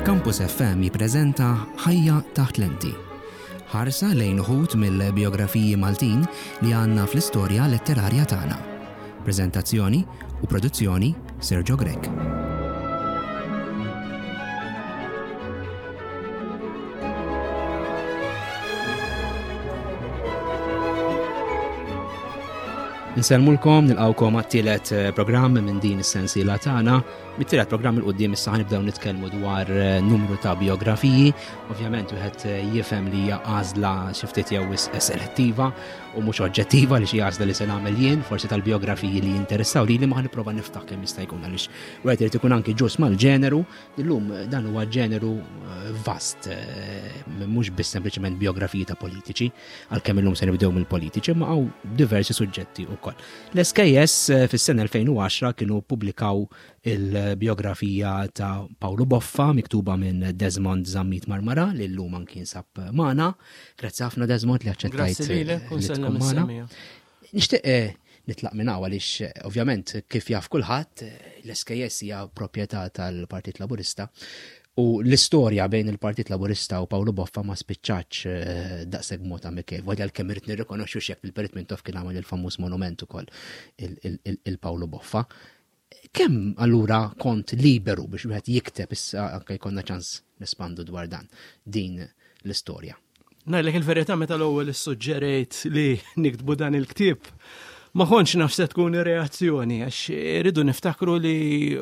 Campus FM jippreżenta Ħajja taħt lenti. Ħarsa lejn uħud mill-bijografiji Maltin li għandna fl-istorja letterarja tagħna. Preżentazzjoni u produzzjoni Sergio Grech. Nsellmulkom, nilqawkom għat-tielet eh, programm minn din is-sensiela tagħna. Mit-tielet programm il-qudiem issa ħanibdew nitkellmu dwar eh, numru ta' biografiji. Ovvjament wieħed eh, jifhem li hija għażla xi ftit jew selettiva u mhux oġġettiva li xi għażla li se nagħmel jien, forsi tal-biografiji li jinteressaw li li ma ħanipprova niftaħ kemm jista' jkun għaliex wieħed irid ikun anki ġust mal-ġeneru Illum dan huwa ġeneru eh, vast, eh, mhux biss sempliċement biografiji ta' politiċi, għalkemm illum se nibdew mill-politiċi, ma hawn diversi suġġetti wkoll. L-SKS eh, fis-sena 2010 kienu pubblikaw il-biografija ta' Paolo Boffa miktuba minn Desmond Zammit Marmara li llum anki jinsab magħna. Grazzi ħafna Desmond li aċċettajt li tkun magħna. Nixtieq eh, nitlaq minn hawn għaliex eh, ovvjament kif jaf kulħadd eh, l-SKS hija proprjetà tal-Partit Laburista u l-istorja bejn il-Partit Laburista u Paolo Boffa ma spiċċax daqshekk mod amikevoli Volja l-kemm irid nirrikonoxxu x'jekk il-Perit Mintoff kien għamel il-famuż monument ukoll il-Paolo Boffa. Kemm allura kont liberu biex wieħed jikteb issa anke jkollna ċans nespandu dwar dan din l-istorja? Ngħidlek il-verità meta l-ewwel issuġġerejt li niktbu dan il-ktieb, ma kontx naf se tkun ir-reazzjoni għax irridu niftakru li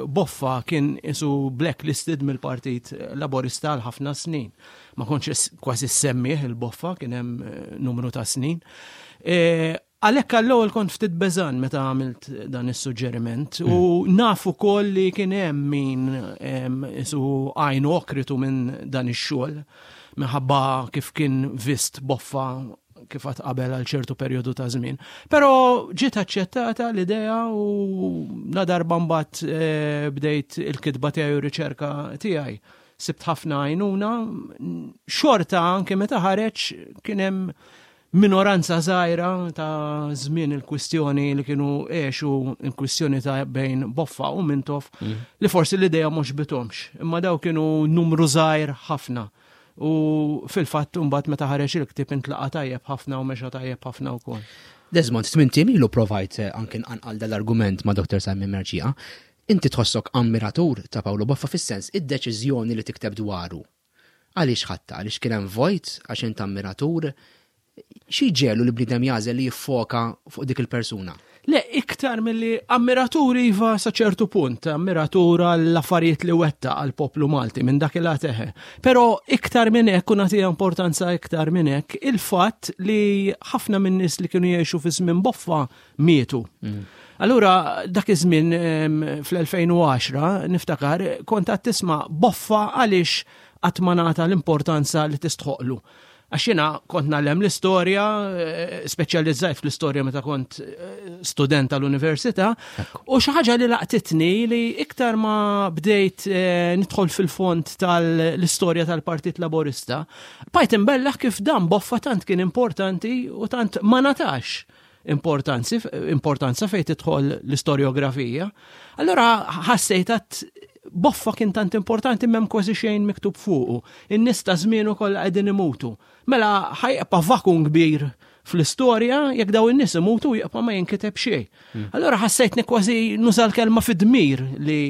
Boffa kien isu blacklisted mill-Partit Laburista għal ħafna snin. Ma kontx kważi semmih il-Boffa kien hemm eh, numru ta' snin. E, Għalhekk għall-ewwel kont ftit beżan meta għamilt dan is-suġġeriment u mm. naf ukoll li kien hemm min isu għajnu okritu minn dan ix-xogħol minħabba kif kien vist boffa kif għad qabel għal ċertu perjodu ta' żmien. Però ġiet aċċettata l-idea u la darba mbagħad eh, bdejt il-kitba tiegħi u riċerka tiegħi. Sibt ħafna għajnuna, xorta anke meta ħareġ kien hemm minoranza żgħira ta' żmien il-kwistjoni li kienu għexu il-kwistjoni ta' bejn Boffa u Mintoff mm. li forsi l-idea mhux bitomx, imma daw kienu numru żgħir ħafna. U fil-fatt mbagħad meta ħareġ il-ktieb intlaqa' tajjeb ħafna u mexa tajjeb ħafna wkoll. Desmond, tmint ilu provajt eh, anke nqanqal dal-argument ma' Dr. Simon Merċija. Inti tħossok ammiratur ta' Paolo Boffa fis-sens id-deċiżjoni li tikteb dwaru Għaliex ħadtha? Għaliex kien hemm vojt? Għax int ammiratur? Xi jġegħlu li bniedem jagħżel li jiffoka fuq dik il-persuna? Le, iktar milli ammiratur iva sa ċertu punt, ammiratur għall-affarijiet li wettaq għall-poplu Malti minn dak il eħe. Però iktar minn hekk u nagħtiha importanza iktar minn hekk il-fatt li ħafna minn nies li kienu jgħixu fi żmien boffa mietu. Mm. Allura dak iż-żmien fl-2010 niftakar kont għad tisma' boffa għaliex qatt ma nagħta l-importanza li tistħoqlu. Għax jiena kont nagħlem l-istorja, eh, speċjalizzajt fl-istorja meta kont eh, student tal-università, u xi ħaġa li laqtitni li iktar ma bdejt eh, nidħol fil-fond tal-istorja tal-Partit Laburista, bajt imbellaħ kif dan boffa tant kien importanti u tant ma natax importanzi, importanza fejn tidħol l-istorjografija. Allora ħassejt għat boffa kien tant importanti m'hemm kważi xejn miktub fuqu. In-nies ta' żmienu kollha qegħdin imutu. Mela ħajqpa vakum kbir fl-istorja jekk daw in-nies imutu jibqa' ma jinkiteb xejn. Hmm. Allora ħassejtni kważi nuża l-kelma fid-dmir li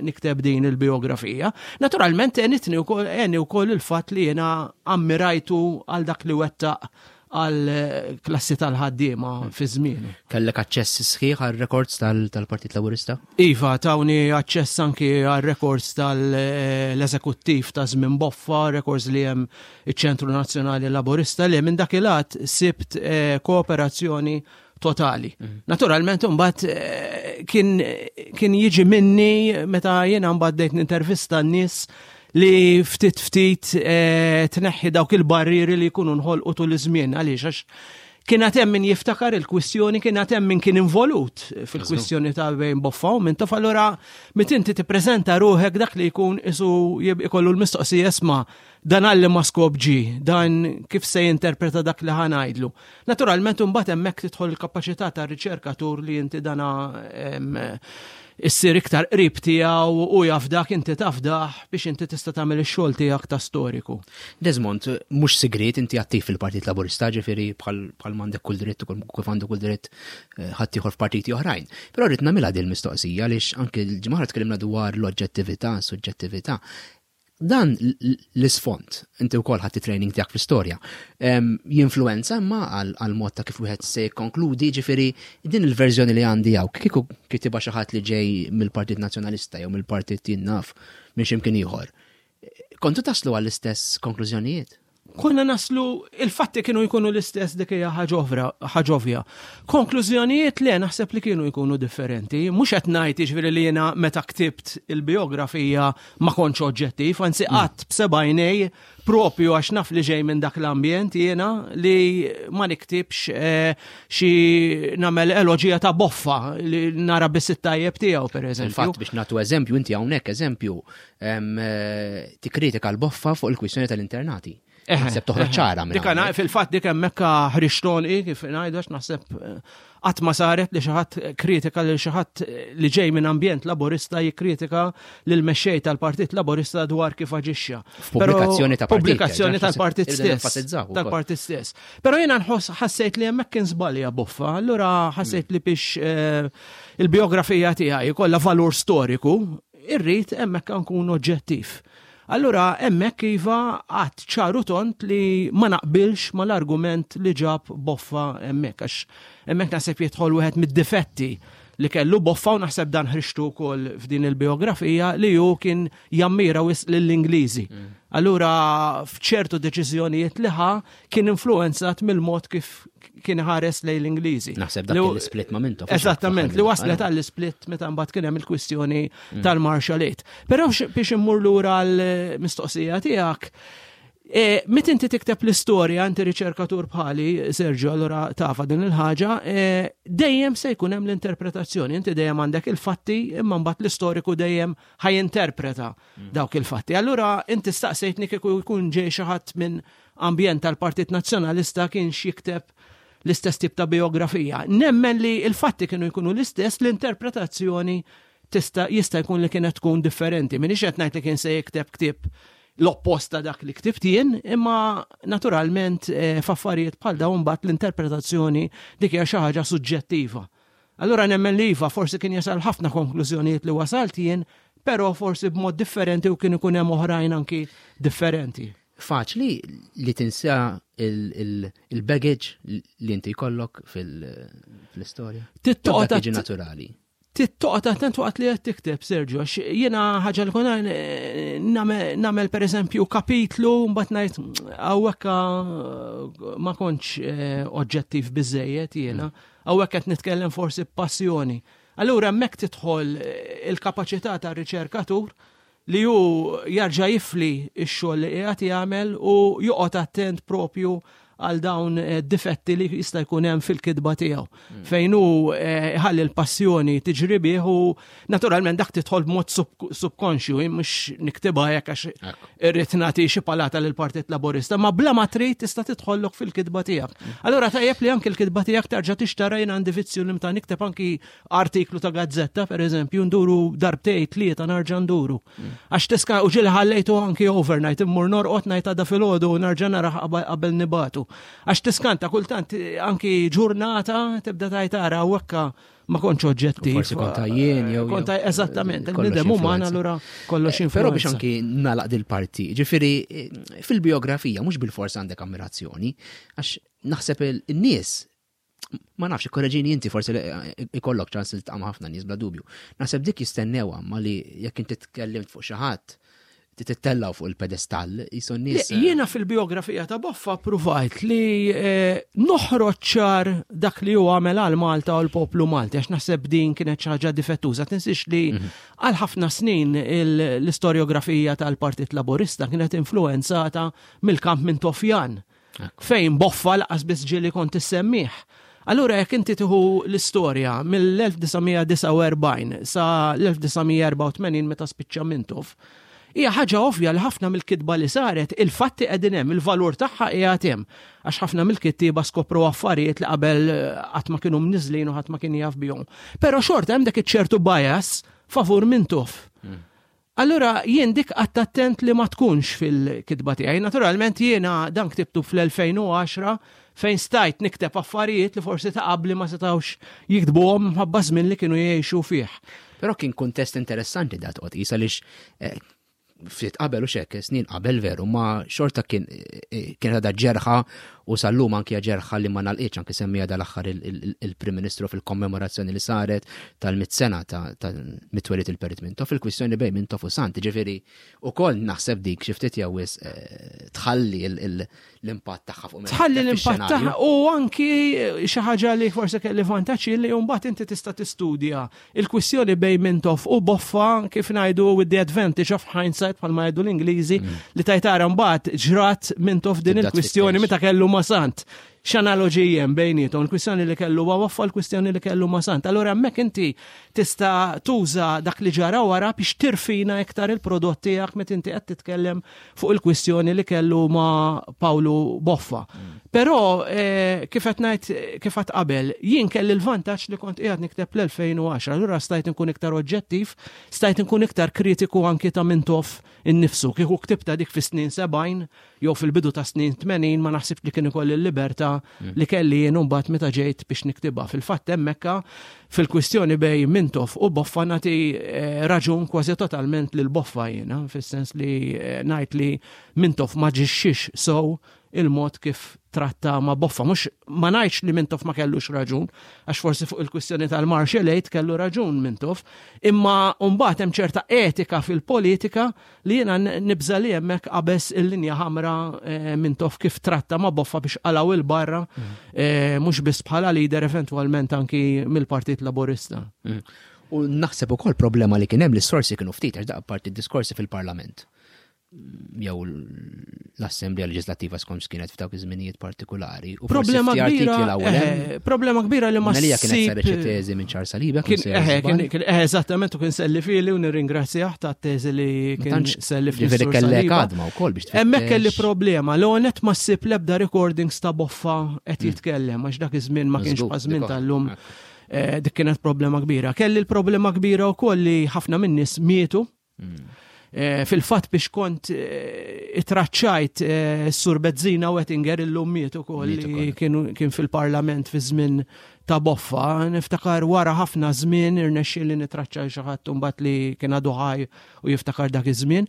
nikteb din il-biografija. Naturalment għenitni wkoll għeni wkoll il-fatt li jiena ammirajtu għal dak li wettaq għal klassi tal-ħaddiema fi żmienu. Kellek aċċess sħiħ għal records tal-Partit Laburista? Iva, tawni aċċess anki għal records tal-eżekuttiv ta' żmien Boffa, records li hemm iċ-Ċentru Nazzjonali Laburista li minn dak il-għad sibt eh, kooperazzjoni totali. Mhm. Naturalment imbagħad eh, kien kien jiġi minni meta jiena mbagħad bdejt nintervista n-nies li ftit ftit eh, tneħħi dawk il-barrieri li jkunu nħolqu tul iż-żmien għaliex għax kien hemm min jiftakar il-kwistjoni, kien hemm min kien involut fil-kwistjoni ta' bejn Boffa u Mintoff, allura meta inti tippreżenta ruħek dak li jkun isu ikollu l-mistoqsija isma' Dan għal liema skop ġie? Dan kif se jinterpreta dak li ħa ngħidlu? Naturalment imbagħad hemmhekk tidħol il-kapaċità tar-riċerkatur li inti dana issir iktar qrib tiegħu u jafdak inti tafdah biex inti tista' tagħmel ix-xogħol tiegħek ta' storiku. Desmond, mhux sigriet inti attiv fil-Partit Laburista, ġifieri bħal m'għandek kull dritt u kif għandu kull dritt eh, ħadd ieħor f'partiti oħrajn. Però rrid nagħmilha din il-mistoqsija għaliex anke l-ġimgħa tkellimna dwar l-oġġettività, suġġettività. Dan l-isfond, inti wkoll ħadd training tiegħek fl-istorja, jinfluwenza imma għal mod ta' kif wieħed se jikkonkludi, ġifieri din il-verżjoni li għandi hawn, kieku kitibha xi ħadd li ġej mill-Partit Nazzjonalista jew mill-Partit jien naf minn x'imkien ieħor. Kontu taslu għall-istess konklużjonijiet? Konna naslu, il-fatti kienu jkunu l-istess dik hija ħaġa ovvja. Konklużjonijiet le naħseb li kienu jkunu differenti. Mhux qed ngħid jiġifieri li jiena meta ktibt il-biografija ma kontx oġġettiv, anzi mm. qatt b'sebgħinej propju għax naf li ġej minn dak l-ambjent jiena li ma niktibx eh, xi nagħmel eloġija ta' boffa li nara biss it-tajjeb tiegħu pereżempju. Fatt biex nagħtu eżempju, inti hawnhekk eżempju Eh, tikkritika l-boffa fuq il-kwistjoni tal-internati. Naħseb toħroġ ċara minn. Dik fil-fatt dik hemmhekk ħriġtoni kif ngħidu għax naħseb eh, qatt ma saret li xi ħadd kritika lil xi ħadd li ġej minn ambjent laburista jikkritika lil mexxej tal-Partit Laburista dwar kif aġixxa. Pubblikazzjoni ta' pubblikazzjoni tal-partit stess. Tal-partit stess. Però jiena nħoss ħassejt li hemmhekk kien żbalja boffa, allura ħassejt li biex eh, il-biografija tiegħi kollha valur storiku Irrid hemmhekk nkun oġġettiv. Allura hemmhekk iva għad ċaru tont li ma naqbilx mal-argument li ġab Boffa hemmhekk għax hemmhekk naħseb jidħol wieħed mid-difetti li kellu Boffa u naħseb dan ħriġtu wkoll f'din il-biografija li hu kien jammira wisq lill-Ingliżi. Mm. Allura f'ċertu deċiżjonijiet li ħa kien influenzat mill-mod kif kien ħares lejn l-Ingliżi. Naħseb dak l-split ma' Mintoff. Eżattament, li waslet għall-split meta mbagħad kien hemm il-kwistjoni mm. tal-Marshall Aid. Però biex immur lura l-mistoqsija tiegħek, e, Mit inti tikteb l-istorja, inti riċerkatur bħali, Sergio, allura tafa din il-ħaġa, e, dejjem se jkun hemm l-interpretazzjoni, inti dejjem għandek il-fatti, imma mbagħad l-istoriku dejjem ħajinterpreta mm. dawk il-fatti. Allura inti staqsejtni kieku jkun ġej xi ħadd minn ambjent tal-Partit Nazzjonalista kienx jikteb l-istess tip ta' biografija. Nemmen li il-fatti kienu jkunu l-istess, l-interpretazzjoni tista' jista' jkun li kienet tkun differenti. Minix qed ngħid li kien se jikteb ktieb l-oppost ta' dak li ktibt jien, imma naturalment eh, f'affarijiet bħal dawn mbagħad l-interpretazzjoni dik hija xi ħaġa suġġettiva. Allura nemmen li iva forsi kien jasal ħafna konklużjonijiet li wasalt jien, però forsi b'mod differenti u kien ikun hemm oħrajn anki differenti. Faċli li tinsa il-baggage li inti jkollok fil-istorja. Tittoqgħod tiġi naturali. Tittoqgħod attent waqt li qed tikteb, Sergio, għax jiena ħaġa li konna nagħmel pereżempju kapitlu mbagħad ngħid hawnhekk ma kontx eh, oġġettiv biżejjed jiena, mm. hawnhekk qed nitkellem forsi b'passjoni. Allura hemmhekk tidħol eh, il-kapaċità tar-riċerkatur li hu jarġa' jifli x-xogħol li qiegħed jagħmel u joqgħod attent propju għal dawn eh, difetti li jista' jkun hemm fil-kitba tiegħu. Mm. Fejn hu eh, ħalli l-passjoni tiġri bih u naturalment dak tidħol b'mod subkonxju, mhux niktibha hekk għax irrid nagħti xi palata lil Partit Laburista, ma bla ma trid tista' tidħollok fil-kitba tiegħek. Mm. Allura tajjeb li anki l-kitba tiegħek terġa' tixtara jien għandi vizzju li mta nikteb anki artiklu ta' gazzetta, per eżempju, nduru darbtej tlieta narġa' nduru. Mm. Għax tiska u ġili ħallejtu anki overnight, immur norqod ngħid għada filgħodu u narġa' nara qabel nibatu. Għax tiskanta kultant anki ġurnata tibda tajt ara u hekka ma kontx oġġettiv. Forsi konta jien jew. Konta eżattament, il-bniedem uman allura kollox influenza. Però biex anki nalaq dil-parti, ġifieri eh, fil-biografija mhux bil-fors għandek ammirazzjoni, għax naħseb il-nies ma nafx, korreġini inti forsi ikollok ċans li tqam ħafna nies bla dubju. Naħseb dik jistennew ma li jekk inti tkellimt fuq xi ħadd titellaw fuq il-pedestall, jisu nies. Eh, jiena fil-biografija ta' Boffa provajt li eh, noħroġ ċar dak li hu għamel għal Malta u l-poplu Malti, għax naħseb din kienet xi ħaġa difettuża. Tinsiex li mhm. għal ħafna snin l-istoriografija tal-Partit Laburista kienet influenzata mill-kamp minn Tofjan. Fejn boffa laqas biss ġieli kont issemmih. Allura jekk inti tieħu l-istorja mill-1949 sa l-1984 meta spiċċa Mintoff, Hija ħaġa ovvja li ħafna mill-kitba li saret, il-fatti qegħdin hemm, il-valur tagħha qiegħed hemm. Għax ħafna mill-kittieba skopru affarijiet li qabel eh, qatt ma kienu mniżlin u ħadd ma kien jaf bihom. Però xorta hemm dak iċ-ċertu bias favur Mintoff. Hmm. Allura jien dik qatt attent li ma tkunx fil-kitba tiegħi. Naturalment jiena dan ktibtu fl-2010 fejn stajt nikteb affarijiet li forsi ta' qabli ma setgħux jiktbuhom minħabba żmien li kienu jgħixu fih. Però kien kuntest interessanti dat qod qis għaliex eh, ftit qabel u xek, snin qabel veru, ma xorta kien eh, eh, kien għadha ġerħa u sal-lum anki ġerħa li ma nalqiċ anki semmija dal-aħħar il-Prim Ministru fil-kommemorazzjoni li saret tal-mit sena ta' mitwelit il-Perit Mintoff, il-kwistjoni bejn Mintoff u Sant, ġifieri ukoll naħseb dik xi ftit jew eh, tħalli l-impatt tagħha fuq Tħalli l-impatt tagħha u anki xi ħaġa li forsi kelli vantaġġ li mbagħad inti tista' tistudja il-kwistjoni bejn Mintoff u Boffa kif ngħidu with the advantage of hindsight bħalma jgħidu l-Ingliżi mm. li tajtara mbagħad ġrat Mintoff din il-kwistjoni meta kellu ma' Sant x'analoġiji hemm bejniethom, il-kwistjoni li kellu ma' Boffa l-kwistjoni li kellu ma' Sant. Allura hemmhekk inti tista' tuża dak li ġara wara biex tirfina iktar il-prodott tiegħek meta inti qed titkellem fuq il-kwistjoni li kellu ma' Pawlu Boffa. Mm. Però eh, kif qed ngħid kif qed qabel, jien kelli l-vantaġġ li kont qiegħed nikteb l-2010, allura stajt inkun iktar oġġettiv, stajt inkun iktar kritiku anki ta' Mintoff innifsu. Kieku ktibta dik fis-snin 70 jew fil-bidu ta' snin 80 ma naħsibx li kien ikolli l-libertà mm. li kelli jien mbagħad meta ġejt biex niktibha. Fil-fatt hemmhekk fil-kwistjoni bej Mintoff u Boffa nagħti eh, raġun kważi totalment lil Boffa jiena, fis-sens li eh, ngħid li Mintoff ma ġixxix sow il-mod kif tratta ma' Boffa. Mhux ma ngħidx li Mintoff ma kellux raġun, għax forsi fuq il-kwistjoni tal-Marshall Aid kellu raġun Mintoff, imma mbagħad hemm ċerta etika fil-politika li jiena nibża' li hemmhekk qabeż il-linja ħamra eh, Mintoff kif tratta ma' Boffa biex qalgħu 'il barra mm. eh, mhux biss bħala leader eventwalment anki mill-Partit Laburista. Mm. U naħseb ukoll problema li kien hemm li s-sorsi kienu ftit għax daqqa parti diskorsi fil-Parlament jew l-Assemblea Leġislattiva skont kienet f'dawk iż-żminijiet partikolari. U problema kbira. Eh, problema kbira li ma Melija kienet saret xi teżi minn Charles Saliba. Kien eh, kien eh, eżattament u kien selli fili u nirringrazzjah ta' teżi li kien selli fili. Ġifieri kellek għadma wkoll biex Hemmhekk kelli problema l għonet ma ssib l-ebda recordings ta' boffa qed hmm. jitkellem għax dak iż-żmien ma kienx bħaż żmien tal-lum. Dik kienet problema kbira. Kelli l-problema kbira wkoll li ħafna min-nies mietu Hmm. Eh, fil-fatt biex kont eh, itraċċajt eh, s-sur Bezzina Wettinger illum miet ukoll li kien fil-parlament fi żmien ta' boffa. Niftakar wara ħafna żmien irnexxi li nitraċċaj xi ħadd imbagħad li kien għadu ħaj u jiftakar dak iż-żmien.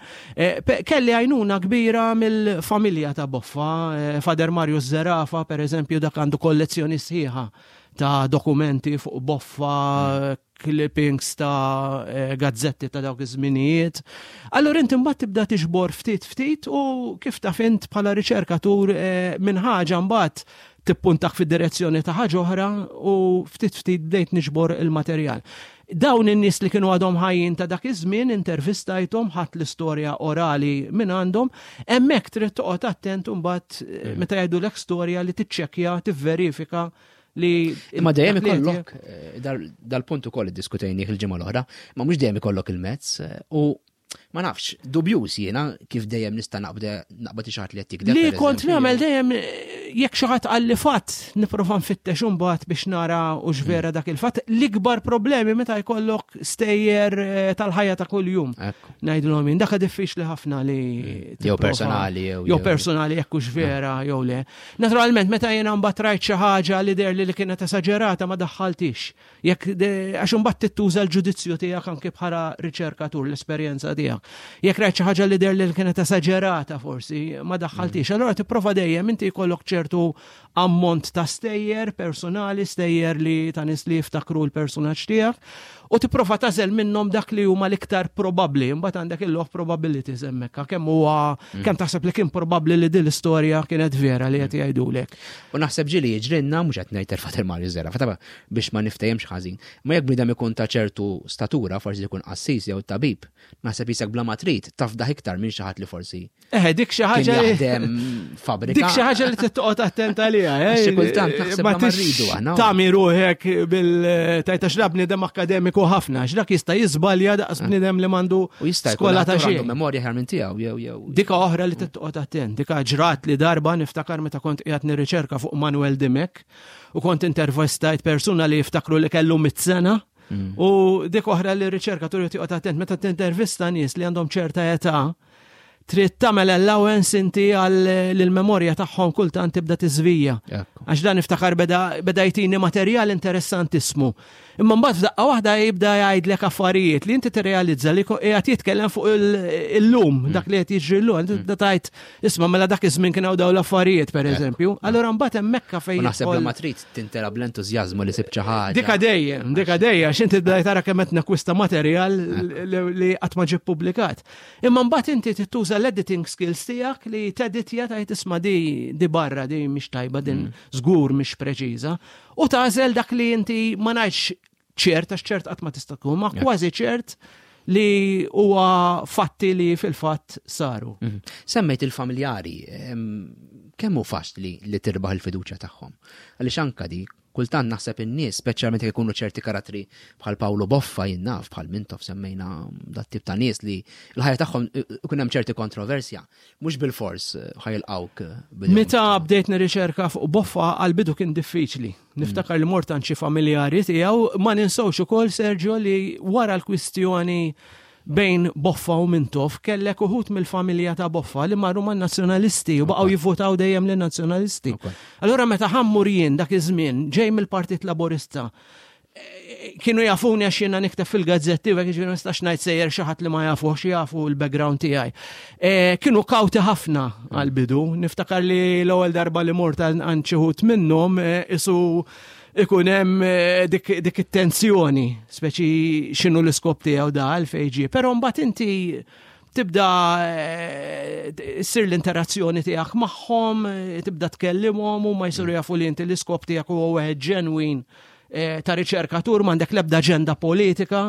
Kelli għajnuna kbira mill-familja ta' boffa, Fader Marius Zerafa pereżempju dak għandu kollezzjoni sħiħa ta' dokumenti fuq boffa, hmm. clippings ta' eh, gazzetti ta' dawk iż-żminijiet. Allura inti mbagħad tibda tiġbor ftit ftit u kif taf int bħala riċerkatur eh, minn ħaġa mbagħad tippuntak fid-direzzjoni ta' ħaġa oħra u ftit ftit bdejt niġbor il-materjal. Dawn in-nies li kienu għadhom ħajjin ta' dak iż-żmien intervistajthom ħadd l-istorja orali minn għandhom, hemmhekk trid toqgħod attent imbagħad eh, mm. meta jgħidulek storja li tiċċekkja, tivverifika li. Imma dejjem ikollok, eh, dal-punt ukoll iddiskutejnih il-ġimgħa l-oħra, ma mhux dejjem ikollok il-mezz eh, u ma nafx, dubjuż jiena kif dejjem nista' naqbad xi ħadd li qed tikdeb. Li kont nagħmel dejjem jekk xi ħadd qalli fatt nipprova nfittex imbagħad biex nara u vera mm. dak il-fatt. L-ikbar problemi meta jkollok stejjer eh, tal-ħajja ta' kuljum. Ngħidulhom jien dak diffiċli ħafna li mm. jew personali jew personali jekk hux vera jew le. Naturalment, meta jiena mbagħad rajt xi ħaġa li deher li li kienet esaġerata ma daħħaltix. Jekk għax imbagħad tittuża l-ġudizzju tiegħek anke bħala riċerkatur l-esperjenza tiegħek. Jekk rajt xi ħaġa li deher li kienet esaġerata forsi ma daħħaltix. Mm. Allura tipprova dejjem inti jkollok ċertu ammont ta' stejjer personali, stejjer li ta' nies li jiftakru l-personaġġ tiegħek u tipprova tażel minnhom dak li huma l-iktar probabbli, imbagħad għandek il-law of probabilities hemmhekk, kemm huwa mm. kemm taħseb li kien probabbli li din l-istorja kienet vera li qed mm. jgħidulek. U naħseb ġieli jiġrinna mhux qed ngħid terfa' Mario Zera, fataba biex ma niftehemx ħażin. Ma jekk bniedem ikun ta' ċertu statura, forsi jkun qassis jew tabib, naħseb jisek bla ma trid tafdaħ iktar minn xi ħadd li forsi Eh, dik xi ħaġa jaħdem fabrika. Dik xi ħaġa li trid toqgħod attent għaliha, eh? Xi kultant naħseb ma rridu aħna. Tami ruħek bil tajta x'da bniedem akademiku ħafna, x'dak jista' jiżbalja daqs eh. bniedem li m'għandu U jista' skola ta' xejn. Memorja ħjar minn tiegħu jew jew. Dika oħra li toqgħod attent, dika ġrat li darba niftakar meta kont qiegħed nirriċerka fuq Manuel Dimek u kont intervistajt persuna li jiftakru li kellu mit-sena. U dik oħra li r-riċerkatur joqgħod attent meta tintervista nies li għandhom ċerta età trid tagħmel allowance inti għal l-memorja tagħhom kultant tibda tiżvija. Għax dan iftakar beda, beda jtini materjal interessantissimu. Imma mbagħad f'daqqa waħda jibda jgħidlek affarijiet li inti tirrealizza li qiegħed jitkellem fuq illum, mm. dak li qed jiġri llum, inti tibda tgħid isma' mela dak iż-żmien kien hawn dawn l-affarijiet pereżempju. Allura mbagħad hemmhekk fejn. Naħseb li ma trid tintera bl-entużjażmu li sib xi ħaġa. Dika dejjem, dika dejjem, għax inti tibda tara kemm qed nakwista materjal li qatt ma ġie ppubblikat. Imma mbagħad inti tittuża l-editing skills tiegħek li teditja tgħid isma' di di barra di mhix tajba din mm. żgur mhix preċiża. U tagħżel dak li inti ma ngħidx ċert għax ċert qatt ma tista' tkun, ma kważi ċert li huwa fatti li fil-fatt saru. Mhm. Semmejt il-familjari, kemm hu faċli li tirbaħ il-fiduċja tagħhom? Għaliex anka di Kultant naħseb in-nies, speċjalment jekk ikunu ċerti karattri bħal Pawlu Boffa jien naf, bħal Mintoff semmejna dat-tip ta' nies li l-ħajja tagħhom ikun hemm ċerti kontroversja, mhux bilfors ħajilqgħuk. Meta bdejt nirriċerka fuq Boffa għall-bidu kien diffiċli. Niftakar li mort għand xi familjari tiegħu, ma ninsewx ukoll Sergio li wara l-kwistjoni bejn Boffa u Mintoff kellek uħud mill-familja ta' Boffa li marru man-Nazzjonalisti u baqgħu jivvotaw dejjem lin-Nazzjonalisti. Allura meta ħammur jien dak iż-żmien ġej mill-Partit Laburista eh, kienu jafuni għax jiena nikteb fil-gazzetti u ġifieri ma nistax ngħid sejjer xi ħadd li ma jafuhx jafu l-background tiegħi. Eh, kienu kawti ħafna għall-bidu. Niftakar li l-ewwel darba li mort għand xi ħud minnhom eh, isu ikun hemm eh, dik, dik it-tensjoni, speċi x'inhu l-iskop tiegħu da għalfejn ġie. Però mbagħad inti tibda eh, ssir l-interazzjoni tiegħek magħhom, eh, tibda tkellimhom u ma jsiru jafu li inti l-iskop tiegħek huwa wieħed ġenwin ta' riċerkatur m'għandek l-ebda aġenda politika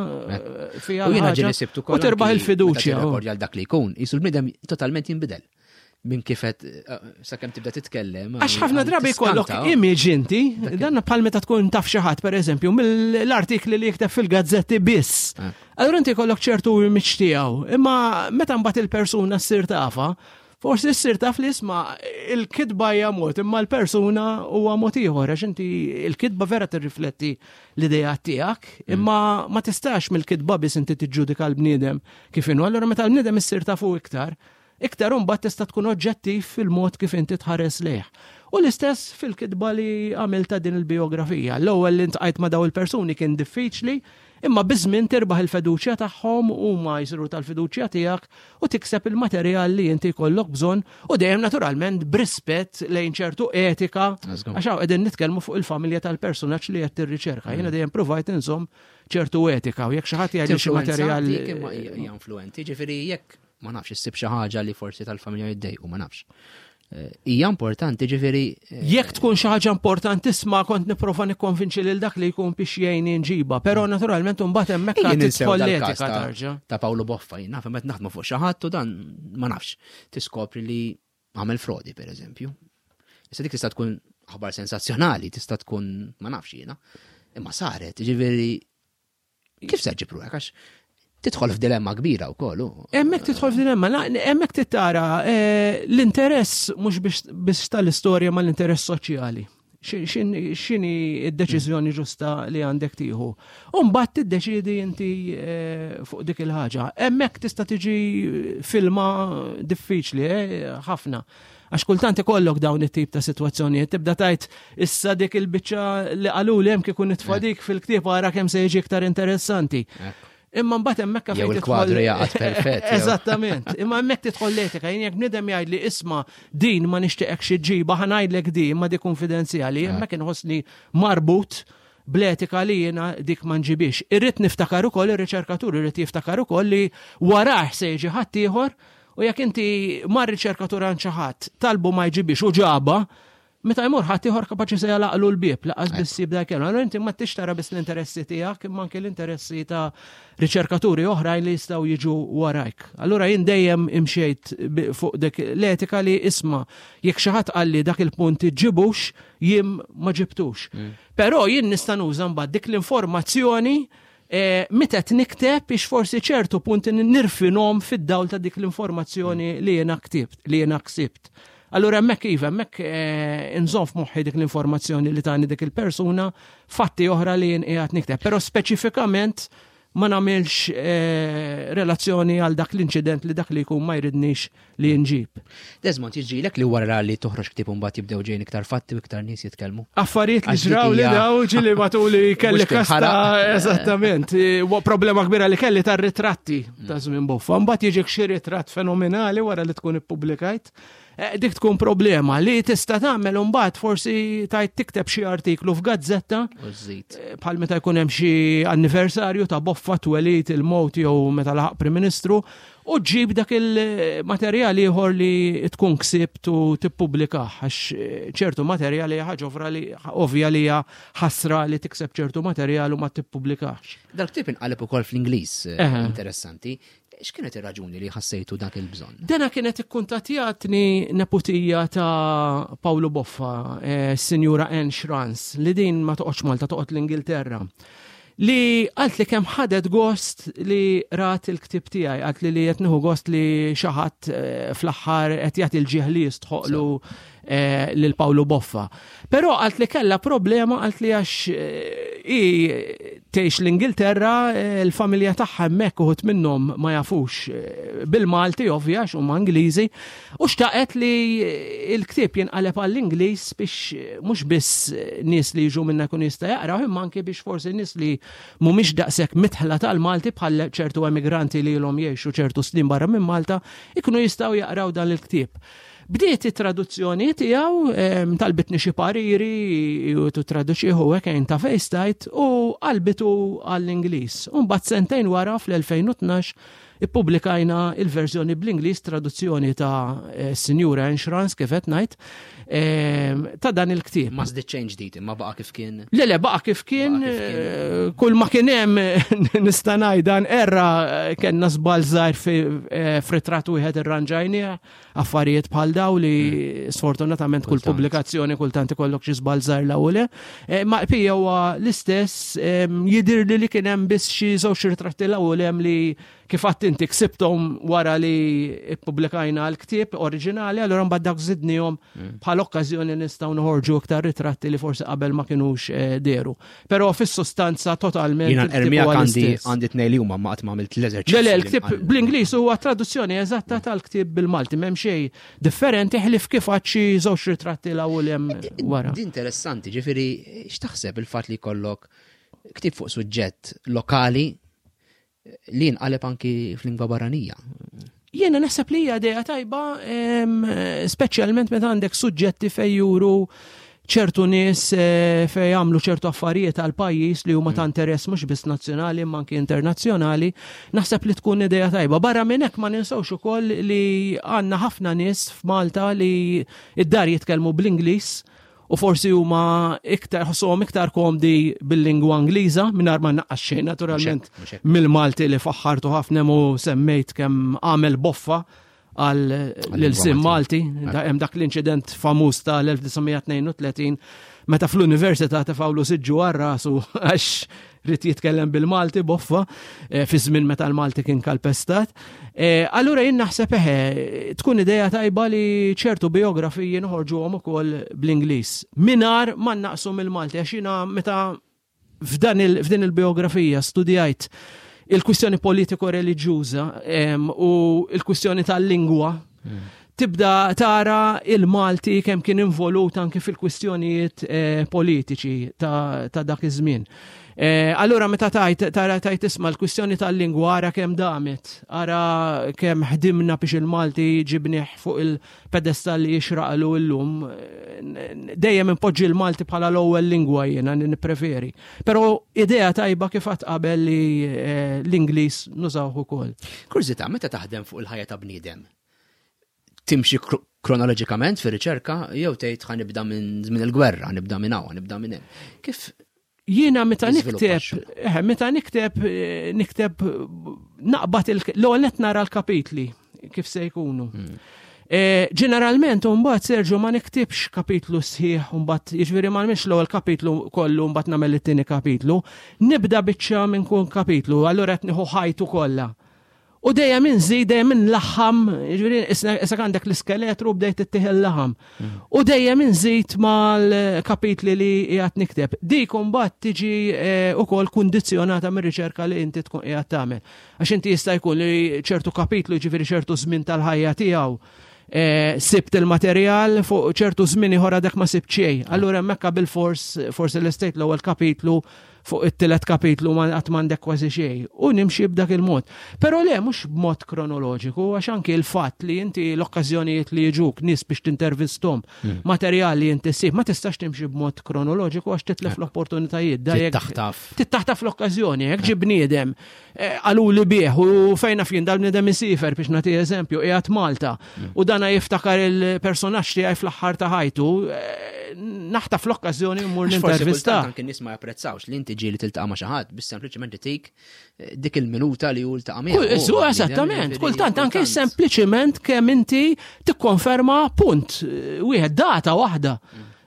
fiha. U jiena ġieli sibtu U tirbaħ il-fiduċja. Għal dak li jkun, jisu l-bniedem totalment jinbidel. minn kifet eh, sakemm tibda titkellem. Għax ħafna drabi jkollok image inti, dan bħal meta tkun taf xi ħadd pereżempju mill-artikli li jikteb fil-gazzetti biss. Eh. Allura inti jkollok ċertu image tiegħu, imma meta mbagħad il-persuna ssir tafa, forsi ssir taf li isma' il-kitba hija mod, imma l-persuna huwa mod ieħor għax inti il-kitba vera tirrifletti l-idea tiegħek, mm. imma ma tistax mill-kitba biss inti tiġġudika l-bniedem kif inhu. Allura meta l-bniedem issir tafu iktar, Iktar imbagħad tista' tkun oġġettiv fil-mod kif inti tħares lejh. U l-istess fil-kitba li għamilt ta' din il-bijografija. L-ewwel li ntqajt ma' daw il-persuni kien diffiċli, imma biż-żmien tirbaħ il-feduċja tagħhom, huma jsiru tal-fiduċja tiegħek u tikseb il-materjal li inti jkollok bżonn u dejjem naturalment b'rispett lejn ċertu etika għax hawn qegħdin nitkellmu fuq il-familja tal-persunaġġ li qed tirriċerka. Jiena dejjem pruvajt inżomm ċertu etika u jekk xi ħadd jgħidli xi materjal. Hija influenti, ġifieri jekk ma nafx issib xi ħaġa li forsi tal-familja jiddejqu, ma nafx. Eh, hija importanti ġifieri. Eh, jekk tkun xi ħaġa importanti kont nipprova nikkonvinċi lil dak li jkun biex jgħinni nġiba, però naturalment imbagħad hemmhekk tidħol l-etika tarġa. Ta' Paolo Boffa jien naf meta naħdmu fuq xi ħadd u dan ma nafx. Tiskopri li għamel frodi pereżempju. Issa dik tista' tkun aħbar sensazzjonali, tista' tkun ma nafx jiena. Imma saret, ġifieri Kif se ġib ruħek għax tidħol f'dilemma kbira wkoll. Hemmhekk tidħol f'dilemma, hemmhekk tittara eh, l-interess mhux biex tal-istorja ma l-interess soċjali. X'inhi d-deċiżjoni ġusta li għandek tieħu. U mbagħad tiddeċiedi inti eh, fuq dik il-ħaġa. Hemmhekk tista' tiġi filma diffiċli eh, ħafna. Għax kultant ikollok dawn it-tip ta' sitwazzjonijiet, tibda tajt issa dik il-biċċa li qalu li hemm kieku nitfa' eh. dik fil-ktieb ara kemm se jiġi iktar interessanti. Imma mbagħad hemmhekk fejn il-kwadru jaqgħod perfett. Eżattament. Imma hemmhekk tidħol l-etika, jien jekk bniedem jgħidli isma' din ma nixtieqek xi ġiba ħa ngħidlek di imma di konfidenzjali, eh. hemmhekk inħossni marbut bl-etika li jiena dik ma nġibix. Irrid niftakar ukoll ir-riċerkatur irid jiftakar ukoll li warah se jiġi ħaddieħor U jekk inti mar riċerkatur għand xi ħadd talbu ma jġibix u ġaba, Meta jmur ħadd ieħor kapaċi se jalaqlu l-bieb laqas biss jibda jkellem. Allura inti ma tix tara biss l-interessi tiegħek imma anke l-interessi ta' riċerkaturi oħrajn li jistgħu jiġu warajk. Allura jien dejjem imxejt fuq dik l-etika li isma' jekk xi ħadd qalli dak il-punt ġibux, jien ma ġibtux. Però jien nista' nuża mbagħad dik l-informazzjoni meta qed nikteb biex forsi ċertu punti nirfinhom fid-dawl ta' dik l-informazzjoni li jiena ktibt, li jiena ksibt. Allura hemmhekk iva, hemmhekk inżomm f'moħħi dik l-informazzjoni li tani dik il-persuna, fatti oħra li jien qiegħed nikteb. Però speċifikament ma nagħmilx relazzjoni għal dak l-inċident li dak li jkun ma jridnix li nġib. Desmond, jiġrilek li wara li toħroġ ktieb imbagħad jibdew ġejjin iktar fatti u iktar nies jitkellmu? Affarijiet li Għax dik ġraw li hija daw ġili matuli kelli Mhux kien kasta, ħaraq. eżattament. Problema kbira li kelli tar-ritratti ta' żmien Boffa. Mbagħad jiġik xi ritratt fenomenali wara li tkun ippubblikajt. Dik tkun problema li tista' tagħmel imbagħad forsi tajt tikteb xi artiklu f'gazzetta. U żżid. Bħal meta jkun hemm xi anniversarju ta' Boffa twelid il-mowt jew meta laħaq Prim Ministru, u ġġib dak il-materjal ieħor li tkun ksibt u tippubblikah, għax ċertu materjali hija ħaġa oħra li ovvja li hija ħasra li tikseb ċertu materjal u ma tippubblikahx. Dal-ktieb inqaleb ukoll fl-Ingliż, interessanti. X'kienet ir-raġuni li ħassejtu dak il-bżonn? Dena kienet ikkuntattjatni neputija ta' Pawlu Boffa, Sinjura Anne Schranz, li din ma toqgħodx Malta, toqgħod l-Ingilterra. Li qalt li kemm ħadet gost li rat il-ktieb tiegħi, qalt li li qed nieħu gost li xi ħadd fl-aħħar qed jagħti l-ġieħ li jistħoqlu lil Pawlu Boffa. Però qalt li kellha problema, qalt li għax hi tgħix l-Ingilterra, il-familja tagħha hemmhekk uħud minnhom ma jafux bil-Malti ovvja għax huma Ingliżi, u xtaqet li l-ktieb jinqaleb għall-Ingliż biex mhux biss nies li jiġu minna jkunu jista' jaqraw, imma anke biex forsi nies li mhumiex daqshekk mitħla tal-Malti bħal ċertu emigranti li ilhom jgħixu ċertu snin barra minn Malta ikunu jistgħu jaqraw dan il-ktieb. Bdiet it-traduzzjoni tiegħu, talbitni xi pariri u traduċieħu hekk għajn ta' FaceTime u qalbitu għall-Ingliż. U mbagħad sentejn wara fl-2012 ippubblikajna il-verżjoni bl-Ingliż, traduzzjoni ta' Sinjura Anne Schranz, kif qed ngħid, ta' dan il-ktieb. Ma żdied xejn ġdid, imma baqa' kif kien. Le, le, baqa' kif kien, Baqa' kif kien. kull ma kien hemm nista' ngħid dan erra kellna żball żgħir f'ritratt wieħed irranġajnieh, affarijiet bħal daw li sfortunatament kull pubblikazzjoni kultant ikollok xi żball żgħir l ewwel. Ma l-pija huwa l-istess, jidhirli li kien hemm biss xi żewġ ritratti l-ewwel hemm li kif għadt inti ksibthom wara li ppubblikajna l-ktieb oriġinali, allura mbagħad dak żidnihom bħal okkażjoni nistgħu noħorġu iktar ritratti li forsi qabel ma kinux dehru. Però fis-sustanza totalment Jiena il-ktieb ermija huwa l-istess. għandi tnejn li huma ma qatt ma għamilt l-eżerċizzju. Le, le, li l-ktieb nqal. bl-Ingliż huwa traduzzjoni eżatta tal-ktieb bil-Malti, m'hemm xejn differenti ħlief kif għad xi żewġ ritratti l-ewwel hemm wara. Din interessanti, ġifieri x'taħseb il-fatt li jkollok ktieb fuq suġġett lokali li jinqaleb anki f'lingwa barranija? Jiena naħseb li hija idea tajba, speċjalment meta għandek suġġetti fejn juru ċertu nies fejn jagħmlu ċertu affarijiet għal pajjiż li huma ta' interess mhux biss nazzjonali imma anki internazzjonali, naħseb li tkun idea tajba. Barra minn hekk ma ninsewx ukoll li għandna ħafna nies f'Malta li id-dar jitkellmu bl-Ingliż u forsi huma iktar ħossuhom iktar komdi bil-lingwa Ingliża mingħajr ma nnaqqas xejn naturalment Mhux hekk, mhux hekk. mill-Malti li faħħartu ħafna u semmejt kemm għamel boffa għal Għal l-ilsien lingwa Malti. Malti. Hemm dak l-inċident famuż tal-1932 meta fl-università tefgħulu siġġu għal rasu għax rid jitkellem bil-Malti boffa fi żmien meta l-Malti kien kalpestat. Allura jien naħseb eħe tkun idea tajba li ċertu biografiji noħorġuhom ukoll bl-Ingliż mingħajr ma naqsu mill-Malti, għax jiena meta f'din il-biografija studjajt il-kwistjoni politiko-reliġjuża u il-kwistjoni tal-lingwa, tibda tara il-Malti kemm kien involut anke fil-kwistjonijiet politiċi ta' dak iż-żmien. Allura meta tara tajt isma' l-kwistjoni tal-lingwa, ara kemm damet, ara kemm ħdimna biex il-Malti ġibnieh fuq il-pedestal li jixraqlu llum. Dejjem impoġġi l-Malti bħala l-ewwel lingwa jiena nippreferi. Però idea tajba kif qatt qabel li l-Ingliż nużawh ukoll. Kurżità, meta taħdem fuq il-ħajja ta' bniedem, timxi Kronoloġikament fir-riċerka jew tgħid ħa nibda minn żmien il-gwerra, nibda minn hawn, nibda minn hemm. Kif Jiena meta nikteb, eh, meta nikteb, eh, nikteb naqbad l-ewwel qed nara l-kapitli kif se jkunu. Eh, ġeneralment mbagħad Sergio ma niktibx kapitlu sħiħ mbagħad jiġifieri ma nagħmilx l-ewwel kapitlu kollu mbagħad nagħmel it-tieni kapitlu. Nibda biċċa minn kun kapitlu, allura qed nieħu ħajtu kollha. U dejjem inżid, dejjem inlaħħam, jiġifieri issa għandek l-iskeletru bdejt ittih il-laħam. U dejjem inżid mal-kapitli li qiegħed nikteb. Dik imbagħad tiġi eh, ukoll kundizzjonata mir-riċerka li inti tkun qiegħed tagħmel. Għax inti jista' jkun li ċertu kapitlu jiġifieri ċertu żmien tal-ħajja tiegħu eh, sibt il-materjal fuq ċertu żmien ieħor għadek ma sibt xejn. Allura hemmhekk bil-fors forsi l-estate l-ewwel kapitlu fuq it-tielet kapitlu ma qatt m'għandek kważi xejn u nimxi b'dak il-mod. Però le mhux b'mod kronoloġiku għax anki l-fatt li inti l-okkażjonijiet li jiġuk nies biex tintervisthom, materjal li inti ssib, ma tistax timxi b'mod kronoloġiku għax titlef l-opportunitajiet. Da jekk- Taħtaf. Tittaħtaf l-okkażjoni, jekk ġi bniedem eh, qaluli bih u fejn naf jien dal-bniedem isifer biex nagħti eżempju, qiegħed Malta u dana jiftakar il-personaġġ tiegħi fl-aħħar ta' ħajtu, eh, naħtaf l-okkażjoni mmur Għax forsi nintervista. kultant anke nies ma japprezzawx li inti ġieli tiltaqa' ma' xi ħadd biss sempliċement itik eh, dik il-minuta li hu ltaqa' miegħu. Kull- Su, eżattament, kultant anke sempliċement kemm inti tikkonferma punt, eh, wieħed data waħda.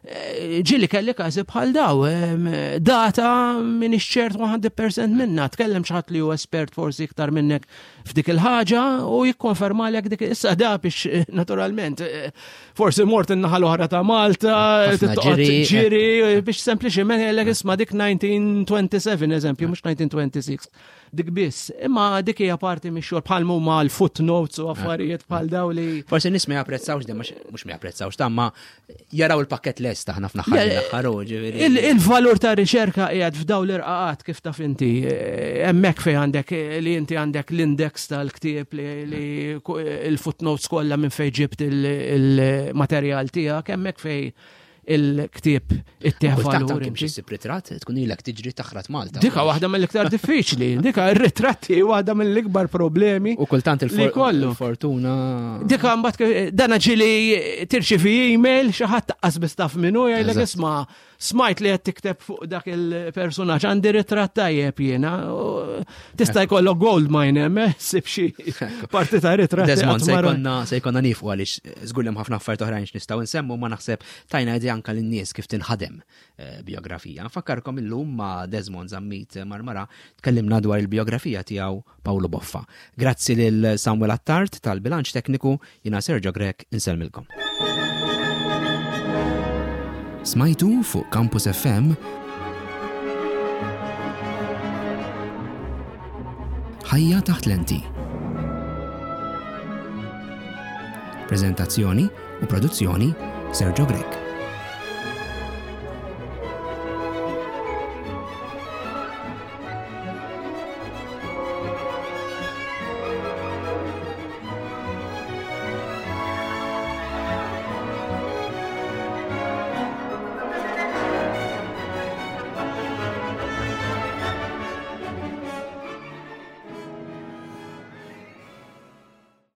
Eh, Ġieli kelli każi bħal daw, em, data minn ċert 100% minna, tkellem xi ħadd li hu espert forsi iktar minnek f'dik il-ħaġa u jikkonferma lek dik issa da biex eh, naturalment eh, forsi mort in-naħa l-oħra ta' Malta, Ħafna tittoqgħod ġiri. ġiri eh, biex sempliċement jgħidlek isma' dik 1927 eżempju, mhux 1926. Dik biss, imma dik hija parti mix-xogħol bħal huma l-footnotes u affarijiet bħal daw li Forsi nies ma japprezzawx dem mhux ma japprezzawx ta' ma jaraw il-pakket lest aħna f'naħħar Le, mill-aħħar u ġifieri. Il- Il-valur ta' riċerka qiegħed f'daw l-irqaqat kif taf inti. Eh, Hemmhekk fejn għandek eh, li inti għandek l-index tal-ktieb li, li ku- il-footnotes kollha minn fejn ġibt il- il-materjal tiegħek, hemmhekk fejn il-ktieb ittieħ Kultant valur. anke inti. biex issib ritratt tkun ilek tiġri taħrat Malta. Dika waħda mill-iktar diffiċli, dika ir-ritratti waħda mill-ikbar problemi. U kultant li kollu. il-fortuna. Dika mbagħad kif- dana ġili tirċivi email xi ħadd taqqas biss taf minnu jgħidlek Eżatt. isma' smajt li qed tikteb fuq dak il-personaġġ għandi ritratt tajjeb jiena. u Tista' jkollok gold mine hemm, eh, sib xi parti ta' ritratti. Desmond, qatt se ma ra- jkollna se jkollna nifu għaliex żgur li hemm ħafna affarijiet oħrajn x'nistgħu nsemmu ma naħseb tajna idea anke lin-nies kif tinħadem eh, biografija. Nfakkarkom illum ma' Desmond Zammit Marmara tkellimna dwar il-biografija tiegħu Paolo Boffa. Grazzi lil Samuel Attard tal-bilanċ tekniku, jiena Sergio Grech insellmilkom. Smajtu fuq Campus FM Ħajja taħt lenti. Prezentazzjoni u produzzjoni Sergio Grech.